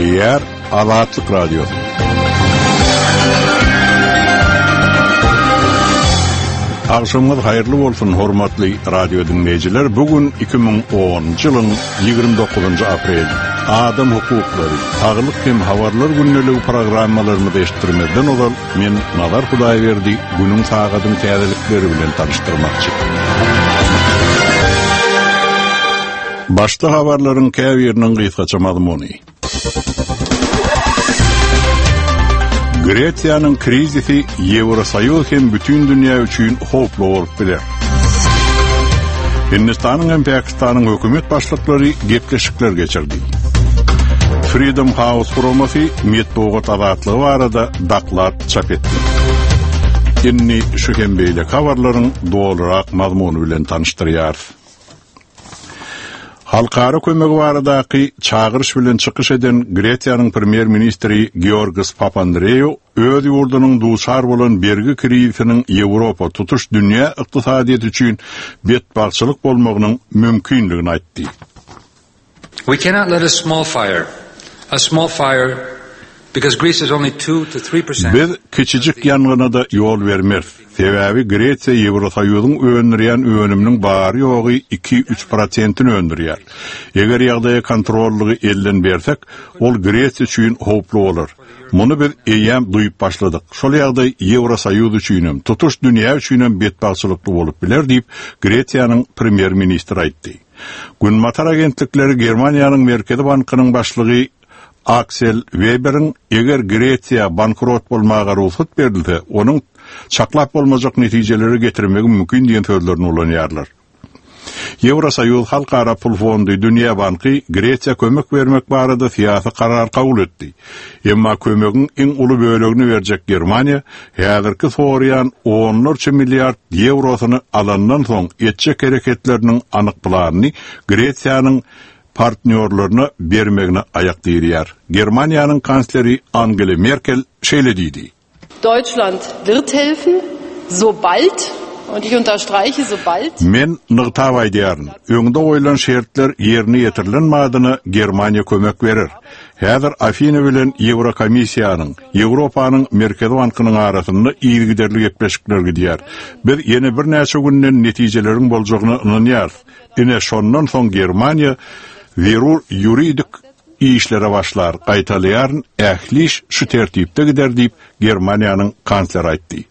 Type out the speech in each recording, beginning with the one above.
Gepleýär Azatlyk Radiosy. Agşamyňyz haýyrly bolsun, hormatly radio diňleýjiler. Bu gün 2010-njy ýylyň 29-njy apreli. Adam hukuklary, saglyk hem habarlar gündeligi programmalarymyzy eşitdirmezden ozal men Nazar Hudaýberdi günüň sagadyň täzelikleri bilen tanyşdyrmakçy. Başda habarlaryň käbiriniň gysgaça mazmuny. Gresiýanyň krizisi Ýewrosoýuz hem bütin dünýä üçin howply bolup biler. Hindistanyň hem Pakistanyň hökümet başlyklary gepleşikler geçirdi. Freedom House guramasy metbugat azatlygy barada doklad çap etdi. Indi şu hem beýleki habarlaryň dolurak mazmuny bilen tanyşdyrýarys. Halkara kömegi baradaky çagyryş bilen çykyş eden Gresiýanyň premýer-ministri Georgos Papandreou öz ýurdunyň duçar bolan bergi krizisiniň Ýewropa, tutuş dünýä ykdysadyýeti üçin betbagtçylyk bolmagynyň mümkindigini aýtdy. We cannot let a small fire, a small fire, because Greece is only 2 to 3%. Biz kiçijik ýangyna-da ýol bermeris. Sebäbi Gresiýa Ýewrosoýuzyň öndürýän önüminiň bary-ýogy iki-üç prosentini öndürýär. Eger ýagdaýa kontrollygy elden bersek, ol Gresiýa üçin howply bolar. Muny biz eýýäm duýup başladyk. Şol ýagdaý Ýewrosoýuz üçinem, tutuş dünýä üçinem betbagtçylykly bolup biler diýip, Gresiýanyň premýer-ministri aýtdy. Günbatar agentlikleri Germaniýanyň Merkezi bankynyň başlygy Aksel Weberiň eger Gresiýa bankrot bolmaga rugsat berilse, onuň çaklap bolmajak netijelere getirmegi mümkin diýen sözlerini ulanýarlar. Ýewrosoýuz, Halkara pul fondy, Dünýä banky Gresiýa kömek bermek barada syýasy karar kabul etdi. Emma kömegiň iň uly bölegini berjek Germaniýa häzirki soraýan onlarça milliard ýewrosyny alandan soň etjek hereketleriniň anyk planyny Gresiýanyň partnýorlaryna bermegine aýak direýär. Germaniýanyň kansleri Angela Merkel şeýle diýdi. Deutschland wird helfen, sobald, und ich unterstreiche sobald. Men nygtap aýdýaryn, öňde goýlan şertler ýerine ýetirilen badyna Germaniýa kömek berer. Häzir Afina bilen Ýewrokomissiýanyň, Ýewropanyň Merkezi bankynyň arasynda yzygiderli gepleşikler gidýär. Biz ýene birnäçe günden netijeleriň boljagyna ynanýarys. Ine, şondan soň Germaniýa zerur ýuridik işlere başlar, gaýtalaýaryn, ähli iş şu tertipde gider diýip, Germaniýanyň kansleri aýtdy.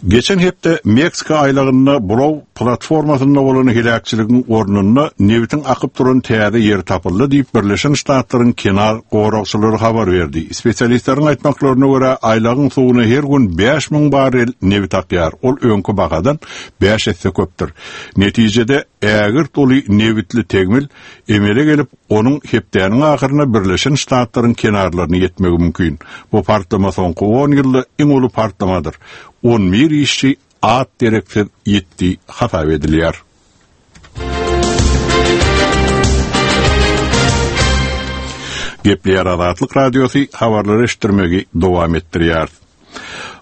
Geçen hepde Meksika aýlagynda buraw platformasynda bolan heläkçiligiň ornunda nebitiň akyp duran täze ýeri tapyldy diýip, Birleşen Ştatlaryň kenar goragçylary habar berdi. Spesialistleriň aýtmaklaryna görä, aýlagyň suwuna her gün 5000 barrel nebit akýar, ol öňki bahadan bäş esse köpdür. Netijede, ägirt uly nebitli tegmil emele gelip, onuň hepdäniň ahyryna Birleşen Ştatlaryň kenarlaryna ýetmegi mümkin. Bu partlama soňky on ýylda iň uly partlamadyr. On bir işçi at-dereksiz ýitdi hasap edilýär. Gepleýär Azatlyk Radiosy habarlary eşitdirmegi dowam etdirýär.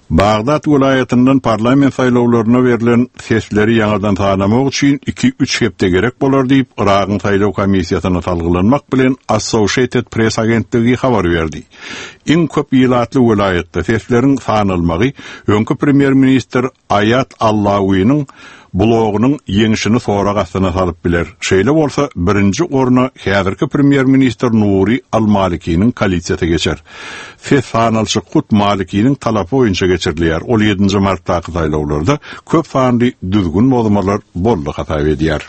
Bagdat welaýatyndan parlament saýlawlaryna berlen sesleri ýaňadan sanamak üçin iki-üç hepde gerek bolar diýip, Yragyň saýlaw komissiýasyna salgylanmak bilen Associated Press agentligi habar berdi. Iň köp ilatly welaýatda sesleriň sanalmagy öňki premýer-ministr Aýat Allawiniň blogynyň ýeňşini sorag astyna salyp biler. Şeýle bolsa, birinji orna häzirki premýer-ministr Nuri al-Malikiniň koalisiýasy geçer. Ses sanalyşyk hut Malikiniň talapy boýunça geçirilýär, ol ýedinji martdaky saýlawlarda köp sanly düzgün bozmalar boldy hasap edýär.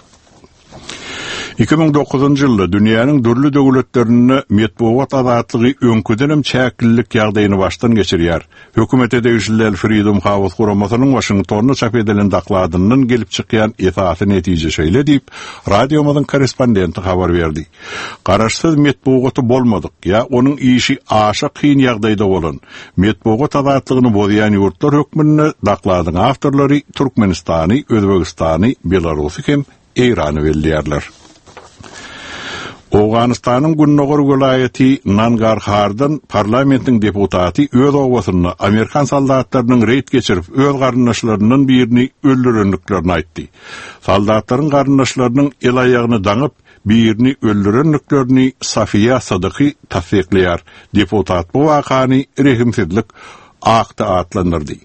2009-njy ýylda dünýäniň dürli döwletlerinde metbugat azatlygy öňküdenem çäklilik ýagdaýyny başdan geçirýär. Hökümete degişli däl Freedom House guramasynyň Waşingtonda çap edilen dokladyndan gelip çykýan esasy netije şeýle diýip, radiomyzyň korrespondenti habar berdi. Garaşsyz metbugaty bolmadyk ýa onuň işi aşa kyn ýagdaýda bolan, metbugat azatlygyny bozýan ýurtlar hökmünde dokladyň awtorlary Türkmenistany, Özbegistany, Belarusy hem Eýrany belleýärler. Owganystanyň gündogar welaýaty Nangarhardan parlamentiň deputaty öz obasynda amerikan soldatlarynyň reýd geçirip, öz garyndaşlaryndan birini öldürendiklerini aýtdy. Soldatlaryň garyndaşlarynyň el-aýagyny daňyp, birini öldürendiklerini Safiýa Sadyky tassyklaýar. Deputat bu wakany rehimsizlik akty atlandyrdy.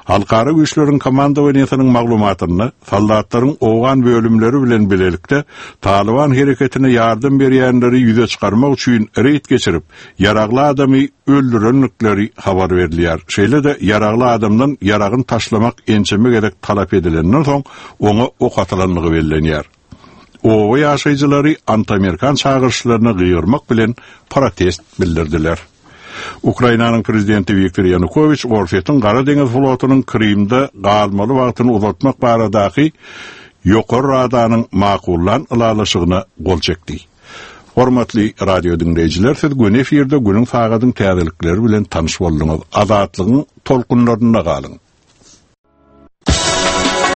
Halkara güýçleriň komandowaniýesiniň maglumatynda, soldatlaryň owgan bölümleri bilen bilelikde Talyban hereketine ýardam berýänleri ýüze çykarmak üçin reýd geçirip, ýaragly adamy öldürendikleri habar berilýär. Şeýle-de ýaragly adamdan ýaragyny taşlamak ençeme gezek talap edilenden soň, oňa ok atylandygy bellenýär. Oba ýaşaýjylary antiamerikan çagyryşlaryna gygyrmak bilen protest bildirdiler. Ukrainanyň prezidenti Wiktor Ýanukowiç Orsýetiň Gara deňiz flotunyň Krymda galmaly wagtyny uzaltmak baradaky Ýokary Radanyň makullan ylalaşygyna gol çekdi. Hormatly radio diňleýjiler, siz göni efirde günüň sagadyň täzelikleri bilen tanyş bolduňyz. Azatlygyň tolkunlarynda galyň!